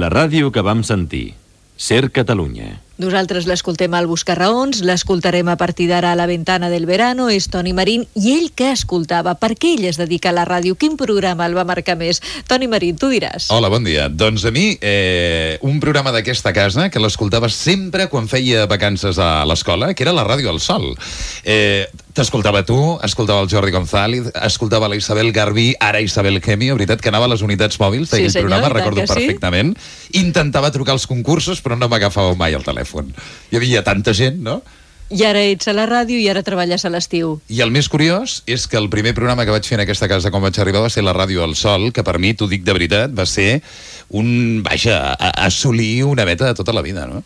La ràdio que vam sentir. Ser Catalunya. Nosaltres l'escoltem al Buscarraons, l'escoltarem a partir d'ara a La Ventana del Verano, és Toni Marín, i ell què escoltava? Per què ell es dedica a la ràdio? Quin programa el va marcar més? Toni Marín, tu diràs. Hola, bon dia. Doncs a mi, un programa d'aquesta casa que l'escoltava sempre quan feia vacances a l'escola, que era la Ràdio al Sol. T'escoltava tu, escoltava el Jordi González, escoltava la Isabel Garbí, ara Isabel Gemio, veritat que anava a les unitats mòbils d'aquell programa, recordo perfectament. Intentava trucar als concursos, però no m'agafava mai el telèfon. Hi havia tanta gent, no? I ara ets a la ràdio i ara treballes a l'estiu. I el més curiós és que el primer programa que vaig fer en aquesta casa quan vaig arribar va ser la Ràdio al Sol, que per mi, t'ho dic de veritat, va ser assolir una meta de tota la vida, no?